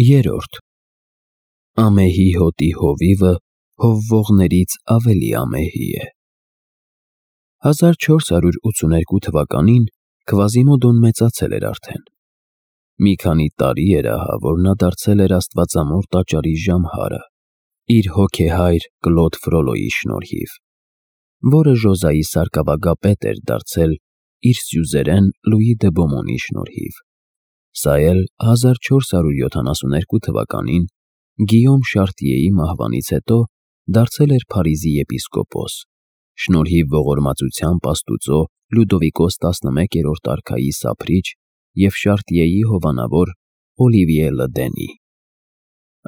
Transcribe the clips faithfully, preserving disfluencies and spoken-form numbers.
Երրորդ Ամեհի հոտի հովիվը հովվողներից ավելի ամեհի է։ հազար չորս հարյուր ութսուներկու թվականին Քվազիմոդոն մեծացել էր արդեն։ Մի քանի տարի էր ահա, որ նա դարձել էր աստվածամոր տաճարի ժամհարը, իր հոգեհայր Կլոդ Ֆրոլոյի շնորհիվ, որը Ժոզայի սարկավագապետ էր դարձել իր սյուզերեն Լուի դե Բոմոնի շնորհիվ։ Սա էլ հազար չորս հարյուր յոթանասուներկու թվականին Գիյոմ Շարտիեի մահվանից հետո դարձել էր Փարիզի եպիսկոպոս, շնորհիվ ողորմածությամբ աստուծո Լյուդովիկոս տասնմեկերորդ արքայի սափրիչ և Շարտիեի հովանավոր Օլիվիե Լդենի։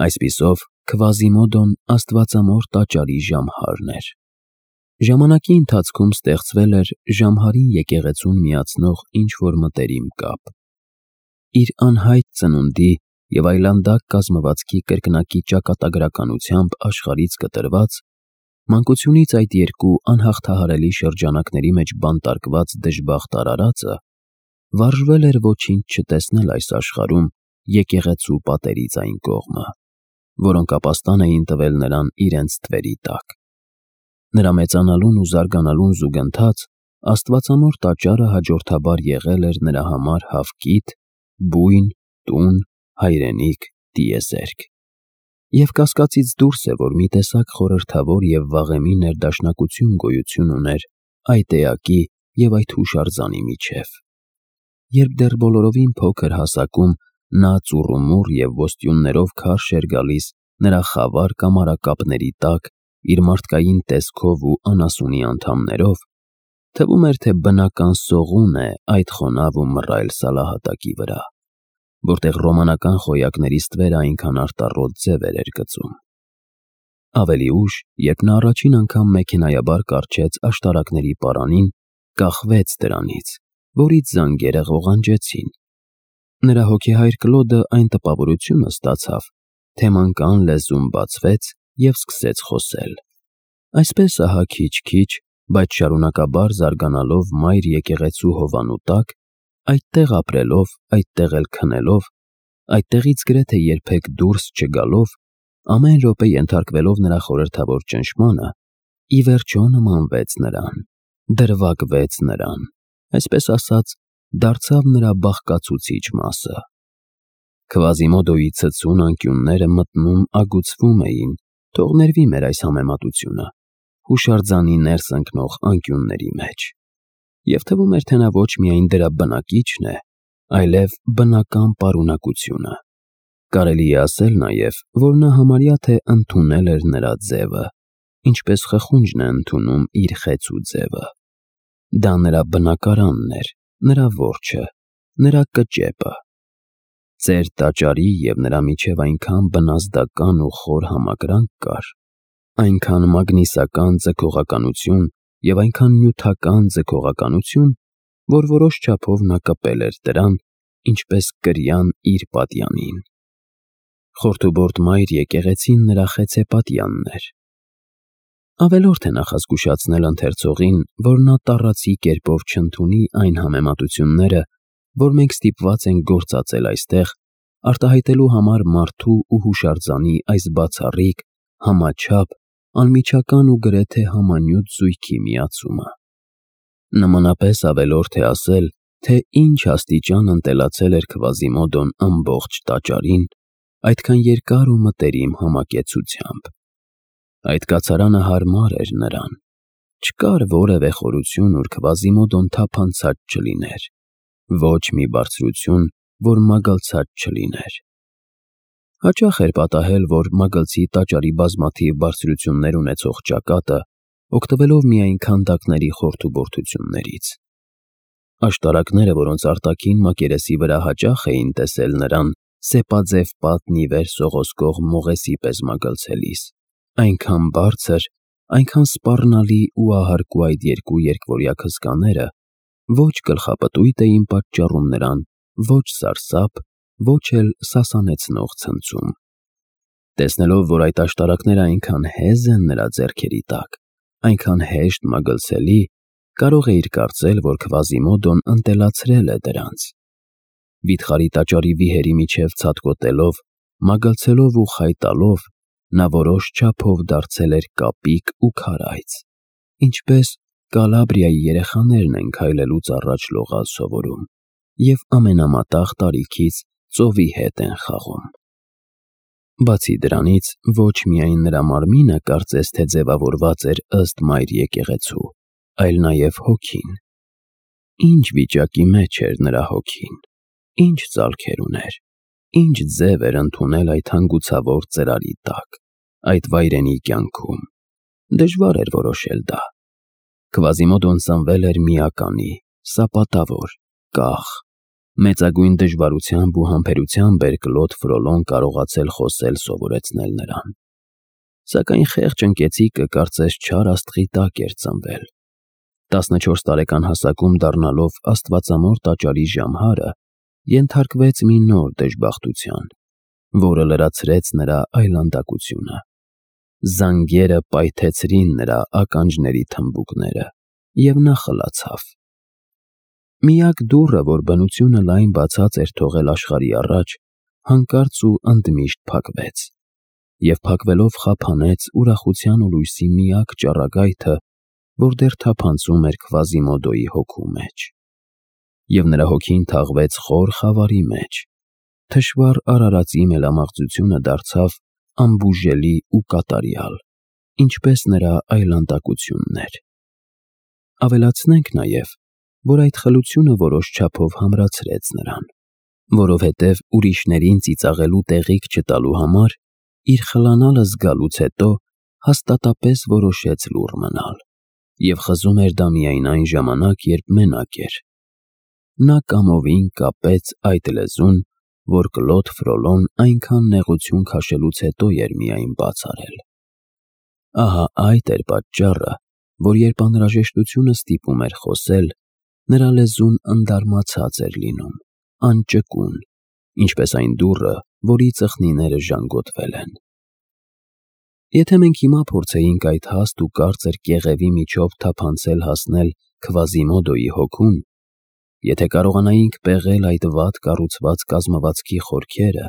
Այսպիսով, Քվազիմոդոն աստվածամոր տաճարի ժամհարն էր։ Ժամանակի ընթացքում ստեղծվել էր ժամհարին եկեղեցուն միացնող ինչ-որ մտերիմ կապ։ Իր անհայտ ծնունդի և այլանդակ կազմվածքի կրկնակի ճակատագրականությամբ աշխարհից կտրված, մանկությունից այդ երկու անհաղթահարելի շրջանակների մեջ բանտարկված դժբախտ արարածը վարժվել էր ոչինչ չտեսնել այս աշխարհում եկեղեցու պատերից այն կողմը, որոնք ապաստան էին տվել նրան իրենց թվերի տակ։ Նրա մեծանալուն ու զարգանալուն զուգընթաց աստվածամոր տաճարը հաջորդաբար եղել էր նրա համար հավկիթ, բույն, տուն, հայրենիք, տիեզերք։ Եվ կասկածից դուրս է, որ մի տեսակ խորհրդավոր և վաղեմի ներդաշնակություն գոյություն ուներ այդ էակի և այդ հուշարձանի միջև։ Երբ դեռ բոլորովին փոքր հասակում նա ծուռումուռ և ոստյուններով քարշ էր գալիս նրա խավար կամարակապների տակ իր մարդկային տեսքով ու անասունի անդամներով, թվում էր, թե բնական սողուն է այդ խոնավ ու մռայլ սալահատակի վրա, որտեղ ռոմանական խոյակների ստվերը այնքան արտառոտ ձևեր էր գծում։ Ավելի ուշ, երբ նա առաջին անգամ մեքենայաբար կառչեց աշտարակների պարանին, կախվեց դրանից, որից զանգերը ղողանջեցին։ Նրա հոգեհայր Կլոդը այն տպավորությունը ստացավ, թե մանկան լեզուն բացվեց և սկսեց խոսել։ Այսպես ահա քիչ-քիչ, բայց շարունակաբար զարգանալով մայր եկեղեցու հովանու տակ, այդտեղ ապրելով, այդտեղ էլ քնելով, այդտեղից գրեթե երբեք դուրս չգալով, ամեն րոպե ենթարկվելով նրա խորհրդավոր ճնշմանը, ի վերջո նմանվեց նրան, դրվագվեց նրան, այսպես ասած, դարձավ նրա բաղկացուցիչ մասը։ Քվազիմոդոյի ցցուն անկյունները մտնում ագուցվում էին, թող ներվի մեր այս համեմատությունը, հուշարձանի ներս ընկնող անկյունների մեջ, և թվում էր, թե նա ոչ միայն դրա բնակիչն է, այլև բնական պարունակությունը։ Կարելի է ասել նաև, որ նա համարյա թե ընդունել էր նրա ձևը, ինչպես խխունջն է ընդունում իր խեցու ձևը։ Դա նրա բնակարանն էր, նրա որջը, նրա կճեպը։ Ծեր տաճարի և նրա միջև այնքան բնազդական ու խոր համակրանք կար, այնքան մագնիսական ձգողականություն և այնքան նյութական ձգողականություն, որ որոշ չափով նա կպել էր դրան, ինչպես կրյան իր պատյանին։ Խորթուբորտ մայր եկեղեցին նրա խեցեպատյանն էր։ Ավելորդ է նախազգուշացնել ընթերցողին, որ նա տառացի կերպով չընդունի այն համեմատությունները, որ մենք ստիպված ենք գործածել այստեղ, արտահայտելու համար մարդու ու հուշարձանի այս բացառիկ, համաչափ, անմիջական ու գրեթե համանյութ զույգի միացումը։ Նմանապես ավելորդ է ասել, թե ինչ աստիճան ընտելացել էր Քվազիմոդոն ամբողջ տաճարին, այդքան երկար ու մտերիմ համակեցությամբ։ Այդ կացարանը հարմար էր նրան։ Չկար որևէ խորություն, ուր Քվազիմոդոն թափանցած չլիներ, ոչ մի բարձրություն, որ մագլցած չլիներ։ Հաճախ էր պատահել, որ մագլցի տաճարի բազմաթիվ բարձրություններ ունեցող ճակատը, օգտվելով միայն քանդակների խորթուբորտություններից։ Աշտարակները, որոնց արտաքին մակերեսի վրա հաճախ էին տեսել նրան սեպաձև պատն ի վեր սողոսկող մողեսի պես մագլցելիս, այնքան բարձր, այնքան սպառնալի ու ահարկու այդ երկու երկվորյակ հսկաները ոչ գլխապտույտ էին պատճառում նրան, ոչ սարսափ, ոչ էլ սասանեցնող ցնցում։ Տեսնելով, որ այդ աշտարակները այնքան հեզ են նրա ձեռքերի տակ, այնքան հեշտ մագլցելի, կարող էիր կարծել, որ Քվազիմոդոն ընտելացրել է դրանց։ Վիթխարի տաճարի վիհերի միջև ցատկոտելով, մագլցելով ու խայտալով, նա որոշ չափով դարձել էր կապիկ ու քարայծ, ինչպես Կալաբրիայի երեխաներն են քայլելուց առաջ լողալ սովորում և ամենամատաղ տարիքից ծովի հետ են խաղում։ Բացի դրանից, ոչ միայն նրա մարմինը կարծես թե ձևավորված էր ըստ մայր եկեղեցու, այլ նաև հոգին։ Ինչ վիճակի մեջ էր նրա հոգին, ինչ ծալքեր ուներ, ինչ ձև էր ընդունել այդ հանգուցավոր ծրարի տակ, այդ վայրենի կյանքում։ Դժվար էր որոշել դա։ Քվազիմոդոն ծնվել էր միականի, սապատավոր, կախ։ Մեծագույն դժվարությամբ ու համբերությամբ էր Կլոդ Ֆրոլոն կարողացել խոսել սովորեցնել նրան։ Սակայն խեղճ ընկեցիկը կարծես չար աստղի տակ էր ծնվել։ տասնչորս տարեկան հասակում դառնալով աստվածամոր տաճարի ժամհարը, ենթարկվեց մի նոր դժբախտության, որը լրացրեց նրա այլանդակությունը։ Զանգերը պայթեցրին նրա ականջների թմբուկները, և նա խլացավ։ Միակ դուռը, որ բնությունը լայն բացած էր թողել աշխարհի առաջ, հանկարծ ու ընդմիշտ փակվեց, և փակվելով խափանեց ուրախության ու լույսի միակ ճառագայթը, որ դեռ թափանցում էր Քվազիմոդոյի հոգու մեջ։ Եվ նրա հոգին թաղվեց խոր խավարի մեջ, թշվառ արարածի մելամաղձությունը դարձավ անբուժելի ու կատարյալ, ինչպես նրա այլանդակությունն էր։ Ավելացնենք նաև, որ այդ խլությունը որոշ չափով համրացրեց նրան, որովհետև ուրիշներին ծիծաղելու տեղիք չտալու համար իր խլանալը զգալուց հետո հաստատապես որոշեց լուռ մնալ, և խզում էր դա միայն այն ժամանակ, երբ մենակ էր։ Նա կամովին կապեց այդ լեզուն, որ Կլոդ Ֆրոլոն այնքան նեղություն քաշելուց հետո էր միայն բաց արել։ Ահա այդ էր պատճառը, որ երբ անհրաժեշտությունը ստիպում էր խոսել, նրա լեզուն ընդարմացած էր լինում, անճկուն, ինչպես այն դուռը, որի ծխնիները ժանգոտվել են։ Եթե մենք հիմա փորձեինք այդ հաստ ու կարծր կեղևի միջով թափանցել հասնել Քվազիմոդոյի հոգուն, եթե կարողանայինք պեղել այդ վատ կառուցված կազմվածքի խորքերը,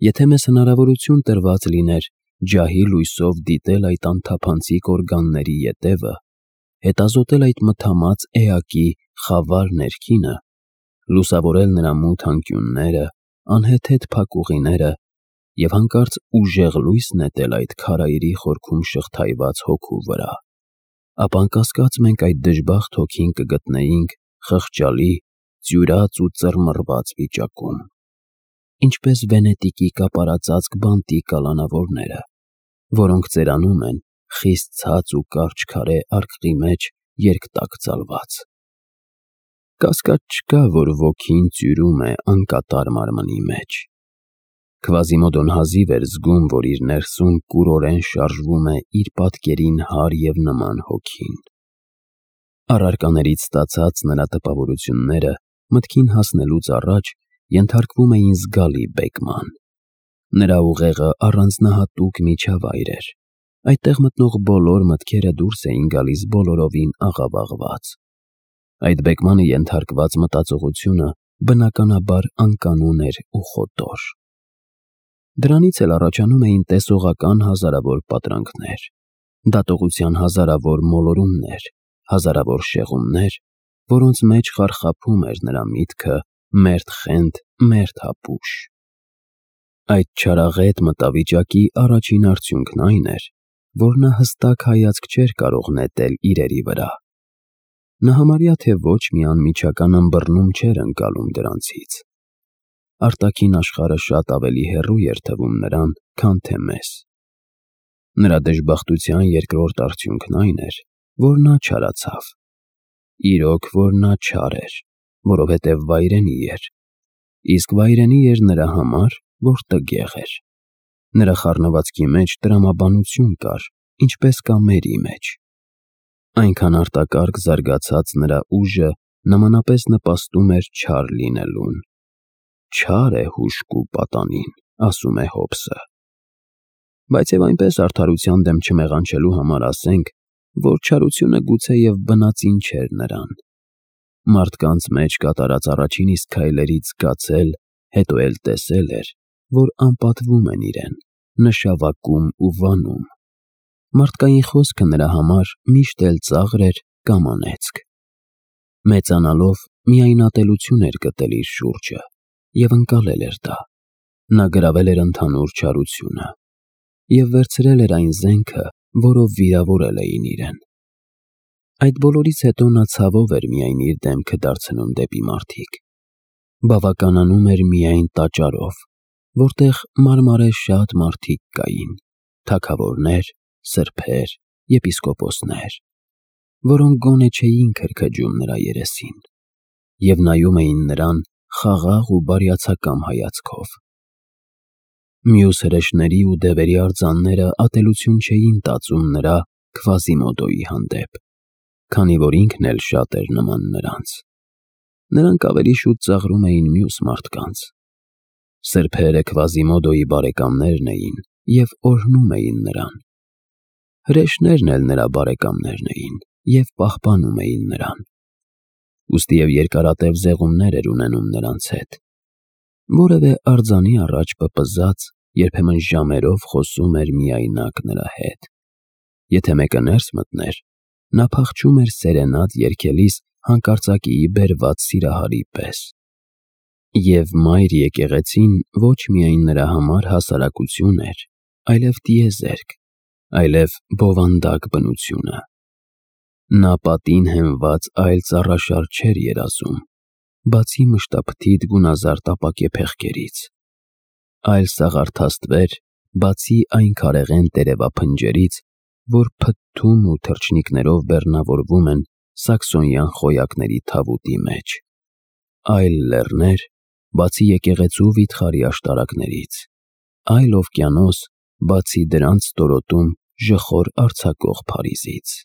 եթե մեզ հնարավորություն տրված լիներ ջահի լույսով դիտել այդ անթափանցիկ օրգանների ետևը, հետազոտել այդ մթամած էակի խավար ներքինը, լուսավորել նրա մութ անկյունները, անհեթեթ փակուղիները և հանկարծ ուժեղ լույս նետել այդ քարայրի խորքում շղթայված հոգու վրա, ապա անկասկած մենք այդ դժբախտ հոգին կգտնեինք խղճալի, ծյուրած ու ծռմռված վիճակում, ինչպես վենետիկի կապարածածկ բանտի կալանավորները, որոնք ծերանում են խիստ ցած ու կարճ քարե արկղի մեջ երկտակ ծալված։ Կասկած չկա, որ ոգին ծյուրում է անկատար մարմնի մեջ։ Քվազիմոդոն հազիվ էր զգում, որ իր ներսում կուրորեն շարժվում է իր պատկերին հարի և նման հոգին։ Առարկաներից ստացած նրա տպավորությունները մտքին հասնելուց առաջ ենթարկվում էին զգալի բեկման։ Նրա ուղեղը առանձնահատուկ միջավայր էր, այդտեղ մտնող բոլոր մտքերը դուրս էին գալիս բոլորովին աղավաղված։ Այդ բեկմանը ենթարկված մտածողությունը բնականաբար անկանոն էր ու խոտոր։ Դրանից էլ առաջանում էին տեսողական հազարավոր պատրանքներ, դատողության հազարավոր մոլորումներ, հազարավոր շեղումներ, որոնց մեջ խարխափում էր նրա միտքը մերթ խենթ, մերթ հապուշ։ Այդ չարաղետ մտավիճակի առաջին արդյունքն այն էր, որ նա հստակ հայացք չէր կարող նետել իրերի վրա։ Նա համարյա թե ոչ մի անմիջական ըմբռնում չէր ընկալում դրանցից։ Արտաքին աշխարհը շատ ավելի հեռու էր թվում նրան, քան թե մեզ։ Նրա դժբախտության երկրորդ արդյունքն այն էր, որ նա չարացավ։ Իրոք, որ նա չար էր, որովհետև վայրենի էր, իսկ վայրենի էր նրա համար, որ տգեղ էր։ Նրա խառնվածքի մեջ տրամաբանություն կար, ինչպես կա մերի մեջ։ Այնքան արտակարգ զարգացած նրա ուժը նմանապես նպաստում էր չար լինելուն։ Չար է հուժկու պատանին, ասում է Հոբսը։ Բայց և այնպես արդարության դեմ չմեղանչելու համար ասենք, որ չարությունը գուցեև բնածին չէր նրան։ Մարդկանց մեջ կատարած առաջին իսկ քայլերից զգացել, հետո էլ տեսել էր, որ անպատվում են իրեն, նշավակում ու վանում։ Մարդկային խոսքը նրա համար միշտ էլ ծաղր էր կամ անեծք։ Մեծանալով միայն ատելություն էր գտել իր շուրջը և ընկալել էր դա։ Նա գրավել էր ընդհանուր չարությունը և վերցրել էր այն զենքը, որով վիրավորել էին իրեն։ Այդ բոլորից հետո նա ցավով էր միայն իր դեմքը դարձնում դեպի մարդիկ։ Բավականանում էր միայն տաճարով, որտեղ մարմարե շատ մարդիկ կային, թագավորներ, սրբեր, եպիսկոպոսներ, որոնք գոնե չէին քրքջում նրա երեսին և նայում էին նրան խաղաղ ու բարյացակամ հայացքով։ Մյուս հրեշների ու դևերի արձանները ատելություն չէին տածում նրա Քվազիմոդոյի հանդեպ, քանի որ ինքն էլ շատ էր նման նրանց։ Նրանք ավելի շուտ ծաղրում էին մյուս մարդկանց։ Սրբերը Քվազիմոդոյի բարեկամներն էին և օրհնում էին նրան։ Հրեշներն էլ նրա բարեկամներն էին և պահպանում էին նրան։ Ուստի և երկարատև զեղումներ էր ունենում նրանց հետ։ Որևէ արձանի առաջ պպզած, երբեմն ժամերով խոսում էր միայնակ նրա հետ։ Եթե մեկը ներս մտներ, նա փախչում էր սերենադ երգելիս հանկարծակիի բերված սիրահարի պես։ Եվ Մայր եկեղեցին ոչ միայն նրա համար հասարակություն էր, այլև տիեզերք, այլև բովանդակ բնությունը։ Նա պատին հենված այլ ծառաշար չէր երազում, բացի մշտափթիթ գունազարդ ապակե փեղկերից, այլ սաղարթաստվեր, բացի այն քարեղեն տերևափնջերից, որ փթթում ու թռչնիկներով բեռնավորվում են սաքսոնյան խոյակների թավուտի մեջ, այլ լեռներ, բացի եկեղեցու վիթխարի աշտարակներից, այլ օվկիանոս, բացի դրանց ստորոտում ժխոր արձակող Փարիզից։